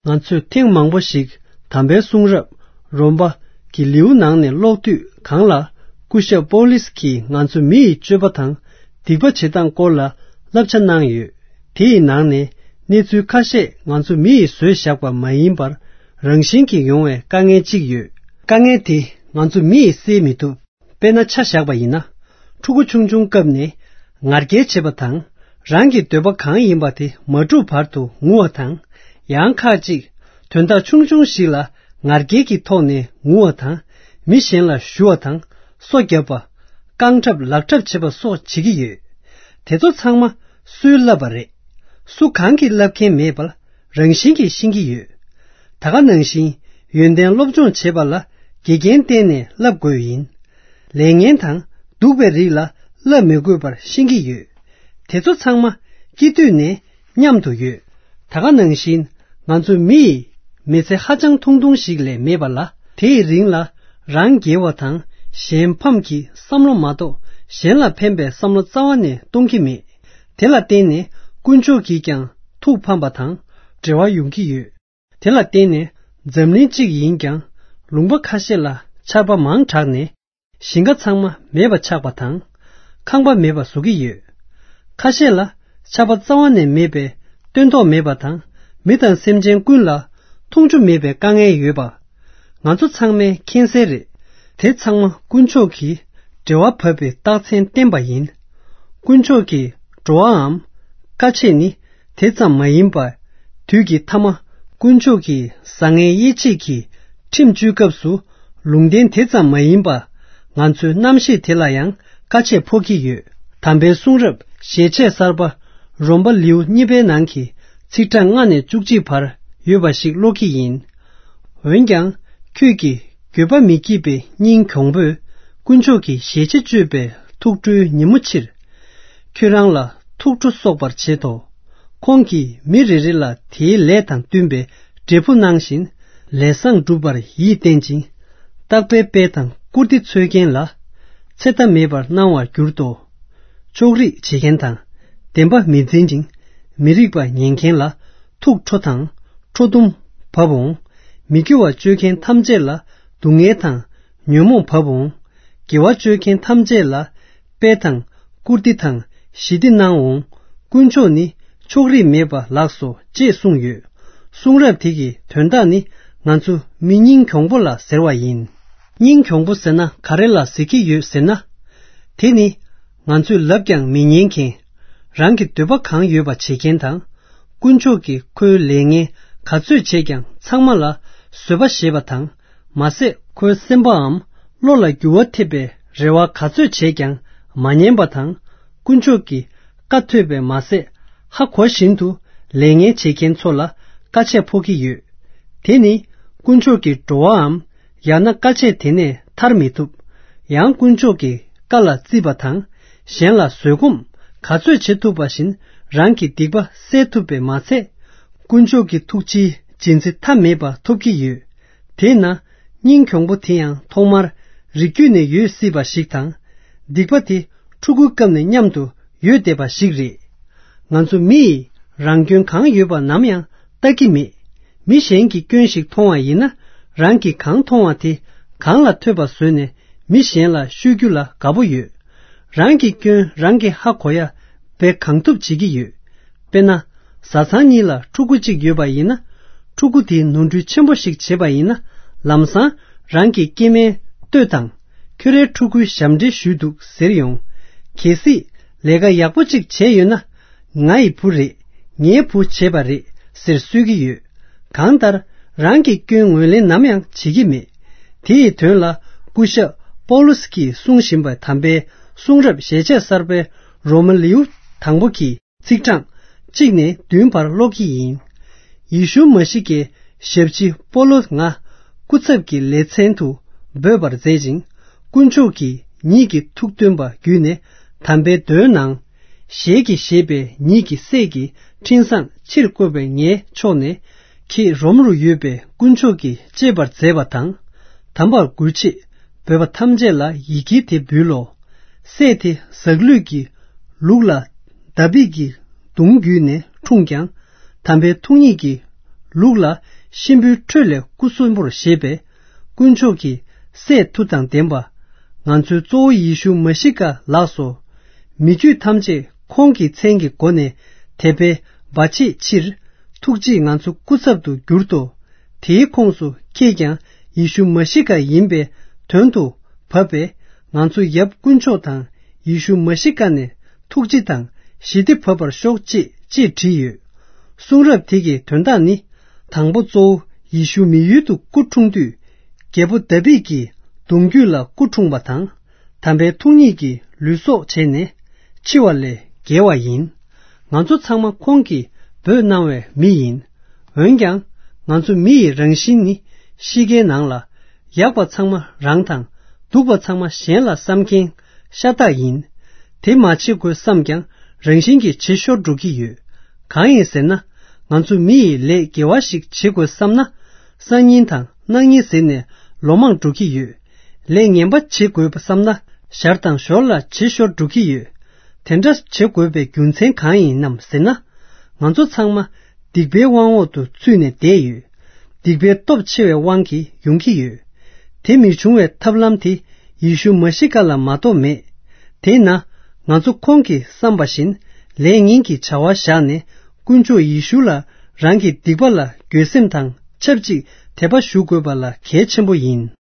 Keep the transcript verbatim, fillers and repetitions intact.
ང་ཚོས་ཐེངས་མང་པོ་ཞིག་དམ་པའི་གསུང་རབ་རོམ་པ་གི་ལེའུ་ནང་ནས་ཀློག་དུས། གང་ལ་སྐུ་ཞབས་པོ་ལིས་ཀྱིས་ང་ཚོ་མི་ཡི་སྤྱོད་པ་དང་སྡིག་པ་བྱེད་སྟངས་སྐོར་ལ་བསླབ་བྱ་གནང་ཡོད། དེ་ཡི་ནང་ནས་གནས་ཚུལ་ཁ་ཤས་ང་ཚོ་མི་ཡིས་བཟོས་བཞག་པ་མ་ཡིན་པར་རང་བཞིན་གྱིས་ཡོང་བའི་དཀའ་ངལ་གཅིག་ཡོད། དཀའ་ངལ་དེ་ང་ཚོ་མི་ཡིས་སེལ་མི་ཐུབ། དཔེར་ན་ཆ་བཞག་པ་ཡིན་ན། ཕྲུ་གུ་ཆུང་ཆུང་སྐབས་ནས་ང་རྒྱལ་བྱེད་པ་དང་། རང་གི་འདོད་པ་གང་ཡིན་པ་དེ་མ་འགྲུབ་བར་དུ་ངུ་བ་དང་། ཡང་ཁག་ཅིག་དོན་དག་ཆུང་ཆུང་ཞིག་ལ་ང་རྒྱལ་གྱི་ཐོག་ནས་ངུ་བ་དང་། མི་གཞན་ལ་གཞུ་བ་དང་། སོ་བརྒྱབ་པ། རྐང་འཁྲབ་ལག་འཁྲབ་བྱེད་པ་སོགས་བྱེད་ཀྱི་ཡོད། དེ་ཚོ་ཚང་མ་སུས་བསླབས་པ་རེད། སུ་གང་གིས་བསླབ་མཁན་མེད་པར་རང་བཞིན་གྱིས་ཤེས་ཀྱི་ཡོད། ད་ག་ནང་བཞིན་ཡོན་ཏན་སློབ་སྦྱོང་བྱེད་པ་ལ་དགེ་རྒན་བསྟེན་ནས་བསླབ་དགོས་ཡིན། ལས་ངན་དང་སྡུག་པའི་རིགས་ལ་བསླབ་མི་དགོས་པར་ཤེས་ཀྱི་ཡོད། དེ་ཚོ་ཚང་མ་སྐྱེས་དུས་ནས་མཉམ་དུ་ཡོད། ད་ག་ནང་བཞིན་ང་ཚོ་མི་ཡིས་མི་ཚེ་ཧ་ཅང་ཐུང་ཐུང་ཞིག་ལས་མེད་པ་ལ། དེའི་རིང་ལ་རང་རྒྱལ་བ་དང་གཞན་ཕམ་གྱི་བསམ་བློ་མ་གཏོགས་གཞན་ལ་ཕན་པའི་བསམ་བློ་རྩ་བ་ནས་གཏོང་གི་མེད། དེ་ལ་བརྟེན་ནས་དཀོན་མཆོག་གིས་ཀྱང་ཐུགས་ཕམ་པ་དང་བྲེལ་བ་ཡོང་གི་ཡོད། དེ་ལ་བརྟེན་ནས་འཛམ་གླིང་གཅིག་ཡིན་ཀྱང་ལུང་པ་ཁ་ཤས་ལ་ཆར་པ་མང་དྲགས་ནས་ཞིང་ཁ་ཚང་མ་མེད་པ་ཆགས་པ་དང་། ཁང་པ་མེད་པ་བཟོ་གི་ཡོད། ཁ་ཤས་ལ་ཆར་པ་རྩ་བ་ནས་མེད་པས་སྟོན་ཐོག་མེད་པ་དང་། མི་དང་སེམས་ཅན་ཀུན་ལ་འཐུང་ཆུ་མེད་པའི་དཀའ་ངལ་ཡོད་པ། ང་ཚོ་ཚང་མས་མཁྱེན་གསལ་རེད། དེ་ཚང་མ་དཀོན་མཆོག་གིས་འབྲེལ་བ་བབས་པའི་རྟགས་མཚན་བསྟན་པ་ཡིན། དཀོན་མཆོག་གི་འགྲོ་བའམ་དཀའ་སྤྱད་ནི་དེ་ཙམ་མ་ཡིན་པ། དུས་ཀྱི་མཐའ་མ་དཀོན་མཆོག་གི་བཟང་ངན་དབྱེ་འབྱེད་ཀྱི་ཁྲིམས་གཅོད་སྐབས་སུ་ལུང་བསྟན་དེ་ཙམ་མ་ཡིན་པ། ང་ཚོའི་རྣམ་ཤེས་དེ་ལ་ཡང་དཀའ་སྤྱད་ཕོག་གི་ཡོད། དམ་པའི་གསུང་རབ་ཞལ་ཆད་གསར་པ་རོམ་པ་ལེའུ་གཉིས་པའི་ནང་གི་ཚིག་གྲངས་ལྔ་ནས་བཅུ་གཅིག་བར་ཡོད་པ་ཞིག་ཀློག་གི་ཡིན། འོན་ཀྱང་ཁྱོད་ཀྱིས་འགྱོད་པ་མི་བགྱིད་པའི་སྙིང་གྱོང་པོས་དཀོན་མཆོག་གི་ཞལ་ཆད་གཅོད་པའི་ཐུགས་ཁྲོའི་ཉིན་མོ་ཕྱིར། ཁྱོད་རང་ལ་ཐུགས་ཁྲོ་གསོག་པར་བྱེད་དོ། ཁོང་གིས་མི་རེ་རེ་ལ་དེའི་ལས་དང་བསྟུན་པའི་འབྲས་བུ་གནང་བཞིན། ལས་བཟང་བསྒྲུབ་པར་ཡིད་བརྟན་ཅིང་། རྟག་པའི་དཔལ་དང་བཀུར་སྟི་འཚོལ་མཁན་ལ། ཚེ་མཐའ་མེད་པར་གནང་བར་འགྱུར་ཏོ། ཕྱོགས་རིས་བྱེད་མཁན་དང་། བདེན་པ་མི་འཛིན་ཅིང་། མི་རིགས་པ་ཉེན་མཁན་ལ། ཐུགས་ཁྲོ་དང་། ཁྲོ་གཏུམ་བབ་འོང་། མི་དགེ་བ་སྤྱོད་མཁན་ཐམས་ཅད་ལ། སྡུག་བསྔལ་དང་། ཉོན་མོངས་བབ་འོང་། དགེ་བ་སྤྱོད་མཁན་ཐམས་ཅད་ལ། དཔལ་དང་། བཀུར་སྟི་དང་། ཞི་བདེ་གནང་འོང་། དཀོན་མཆོག་ནི་ཕྱོགས་རིས་མེད་པ་ལགས་སོ་ཅེས་གསུངས་ཡོད། གསུང་རབ་དེ་གི་དོན་དག་ནི་ང་ཚོ་མི་སྙིང་གྱོང་པོ་ལ་ཟེར་བ་ཡིན། སྙིང་གྱོང་པོ་ཟེར་ན་ག་རེ་ལ་ཟེར་གྱི་ཡོད་ཟེར་ན། དེ་ནི་ང་ཚོས་ལབ་ཀྱང་མི་ཉན་མཁན། རང་གི་འདོད་པ་གང་ཡོད་པ་བྱེད་མཁན་དང་། དཀོན་མཆོག་གིས་ཁོའི་ལས་ངན་ག་ཚོད་བྱས་ཀྱང་ཚང་མ་ལ་བཟོད་པ་བཞེས་པ་དང་། མ་ཟད་ཁོའི་སེམས་པའམ་བློ་ལ་འགྱུར་བ་ཐེབས་པའི་རེ་བ་ག་ཚོད་བྱས་ཀྱང་མ་ཉན་པ་དང་། དཀོན་མཆོག་གི་བཀའ་ཐོས་པས་མ་ཟད་ཧ་གོ་བཞིན་དུ་ལས་ངན་བྱེད་མཁན་ཚོ་ལ་དཀའ་སྤྱད་ཕོག་གི་ཡོད། དེ་ནི་དཀོན་མཆོག་གི་འགྲོ་བའམ་ཡང་ན་དཀའ་སྤྱད་དེ་ནས་ཐར་མི་ཐུབ། ཡང་དཀོན་མཆོག་གི་བཀའ་ལ་བརྩིས་པ་དང་གཞན་ལ་བཟོད་སྒོམ་ག་ཚོད་བྱེད་ཐུབ་པ་བཞིན་རང་གི་སྡིག་པ་སེལ་ཐུབ་པས་མ་ཚད། དཀོན་མཆོག་གི་ཐུགས་རྗེའི་རྗེས་འཛིན་མཐའ་མེད་པ་ཐོབ་ཀྱི་ཡོད། དེས་ན་སྙིང་གྱོང་པོ་དེ་ཡང་ཐོག་མར་རིགས་རྒྱུད་ནས་ཡོད་སྲིད་པ་ཞིག་དང་། སྡིག་པ་དེ་ཕྲུ་གུའི་སྐབས་ནས་མཉམ་དུ་ཡོད་བསྡད་པ་ཞིག་རེད། ང་ཚོ་མི་ཡིས་རང་སྐྱོན་གང་ཡོད་པ་ནམ་ཡང་ལྟ་གི་མེད། མི་གཞན་གྱི་སྐྱོན་ཞིག་མཐོང་བ་ཡིན་ན་རང་གིས་གང་མཐོང་བ་དེ་གང་ལ་ཐོས་པ་བཟོས་ནས་མི་གཞན་ལ་ཤོད་རྒྱུ་ལ་དགའ་པོ་ཡོད། རང་གི་སྐྱོན་རང་གིས་ཧ་གོ་ཡ་བས་གང་ཐུབ་བྱེད་ཀྱི་ཡོད། དཔེར་ན། བཟའ་ཚང་གཉིས་ལ་ཕྲུ་གུ་གཅིག་ཡོད་པ་ཡིན་ན། ཕྲུ་གུ་དེས་ནོར་འཁྲུལ་ཆེན་པོ་ཞིག་བྱས་པ་ཡིན་ན། ལམ་སང་རང་གི་སྐྱེ་དམན་ལྟོས་དང་། ཁྱོད་རའི་ཕྲུ་གུའི་ཞབས་འདྲེན་ཞུས་འདུག་ཟེར་ཡོང་། གལ་སྲིད་ལས་ཀ་ཡག་པོ་གཅིག་བྱས་ཡོད་ན། ང་ཡི་བུ་རེད། ངའི་བུ་བྱས་པ་རེད་ཟེར་གསོལ་གྱི་ཡོད། གང་ལྟར་རང་གི་སྐྱོན་ངོས་ལེན་ནམ་ཡང་བྱེད་ཀྱི་མེད། དེ་ཡི་དོན་ལ་སྐུ་ཞབས་པོ་ལུ་སི་ཀྱིས་གསུང་བཞིན་པ་དམ་པའི་གསུང་རབ་ཞལ་ཆད་གསར་པའི་རོ་མ་ལེའུ་དང་པོ་གི་ཚིག་གྲངས་གཅིག་ནས་བདུན་བར་ཀློག་གི་ཡིན། ཡེ་ཤུ་མ་ཤི་ཀའི་ཞབས་ཕྱི་པོ་ལོ་ང་སྐུ་ཚབ་ཀྱི་ལེ་ཚན་དུ་འབོད་པར་མཛད་ཅིང་། དཀོན་མཆོག་གིས་ཉིད་ཀྱི་ཐུགས་སྟོན་པ་བརྒྱུད་ནས་དམ་པའི་མདོའི་ནང་ཞལ་གྱིས་བཞེས་པའི་ཉིད་ཀྱི་སྲས་ཀྱི་འཕྲིན་བཟང་ཕྱིར་བཀོད་པའི་ངའི་ཕྱོགས་ནས། ཁྱེད་རོམ་རུ་ཡོད་པའི་དཀོན་མཆོག་གིས་གཅེས་པར་མཛད་པ་དང་། དམ་པར་གུས་ཕྱིར་འབོད་པ་ཐམས་ཅད་ལ་ཡི་གེ་དེ་འབུལ་ལོ། སྲས་དེ་ཟག་ལུས་ཀྱི་ལུགས་ལ་དཱ་བིད་ཀྱི་གདུང་བརྒྱུད་ནས་འཁྲུངས་ཀྱང་། དམ་པའི་ཐུགས་ཉིད་ཀྱི་ལུགས་ལ་ གཤིན་པོའི་ཁྲོད་ལས་སྐུ་གསོན་པོར་བཞེས་པས། དཀོན་མཆོག་གི་སྲས་མཐུ་དང་ལྡན་པ། ང་ཚོའི་གཙོ་བོ་ཡེ་ཤུ་མ་ཤི་ཀ་ལགས་སོ། མི་རྒྱུད་ཐམས་ཅད་ཁོང་གི་མཚན་གྱི་སྒོ་ནས་དད་པས་སྦ་བྱེད་ཕྱིར། ཐུགས་རྗེས་ང་ཚོ་སྐུ་ཚབ་ཏུ་གྱུར་ཏོ། དེའི་ཁོངས་སུ་ཁྱེད་ཀྱང་ཡེ་ཤུ་མ་ཤི་ཀ་ཡིན་པའི་དོན་དུ་བབས་པས། ང་ཚོ་ཡབ་དཀོན་མཆོག་དང་ཡེ་ཤུ་མ་ཤི་ཀ་ནས་ཐུགས་རྗེ་དང་ཞི་བདེ་བབས་པར་ཤོག་ཅེས་ཅེས་བྲིས་ཡོད། གསུང་རབ་དེ་གི་དོན་དག་ནི། དང་པོ་གཙོ་བོ་ཡེ་ཤུ་མི་ཡུལ་དུ་སྐུ་འཁྲུངས་དུས། རྒྱལ་པོ་དཱ་བིད་ཀྱི་གདུང་རྒྱུད་ལ་སྐུ་འཁྲུངས་པ་དང་། དམ་པའི་ཐུགས་ཉིད་ཀྱིས་ལུས་སྲོག་བྱས་ནས་འཆི་བ་ལས་རྒྱལ་བ་ཡིན། ང་ཚོ་ཚང་མ་ཁོང་གིས་འབོད་གནང་བའི་མི་ཡིན། འོན་ཀྱང་། ང་ཚོ་མི་ཡི་རང་བཞིན་ནི་ཤི་ཁའི་ནང་ལ། ཡག་པ་ཚང་མ་རང་དང་། སྡུག་པ་ཚང་མ་གཞན་ལ་བསམ་མཁན་ཤ་སྟག་ཡིན། དེ་མ་བྱེད་དགོས་བསམ་ཀྱང་རང་བཞིན་གྱིས་བྱེད་ཤོར་འགྲོ་གི་ཡོད། གང་ཡིན་ཟེར་ན། ང་ཚོ་མི་ཡིས་ལས་དགེ་བ་ཞིག་བྱེད་དགོས་བསམ་ན། སང་ཉིན་དང་གནངས་ཉིན་ཟེར་ནས་ལོ་མང་འགྲོ་གི་ཡོད། ལས་ངན་པ་བྱེད་དགོས་བསམ་ན་ཞར་དང་ཞོར་ལ་བྱེད་ཤོར་འགྲོ་གི་ཡོད། དེ་འདྲ་བྱེད་དགོས་པའི་རྒྱུ་མཚན་གང་ཡིན་ནམ་ཟེར་ན། ང་ཚོ་ཚང་མ་སྡིག་པའི་དབང་འོག་ཏུ་ཚུད་ནས་བསྡད་ཡོད། སྡིག་པའི་སྟོབས་ཆེ་བའི་དབང་གིས་ཡོང་གི་ཡོད། དེ་མི་འབྱུང་བའི་ཐབས་ལམ་དེ་ཡེ་ཤུ་མ་ཤི་ཀ་ལ་མ་གཏོགས་མེད། དེས་ན། ང་ཚོ་ཁོང་གིས་བསམ་པ་བཞིན་ལས་ངན་གྱི་བྱ་བ་བཞག་ནས། དཀོན་མཆོག་ཡེ་ཤུ་ལ་རང་གི་སྡིག་པ་ལ་འགྱོད་སེམས་དང་ཆབས་ཅིག་དད་པ་ཞུ་དགོས་པ་ལ་གལ་ཆེན་པོ་ཡིན།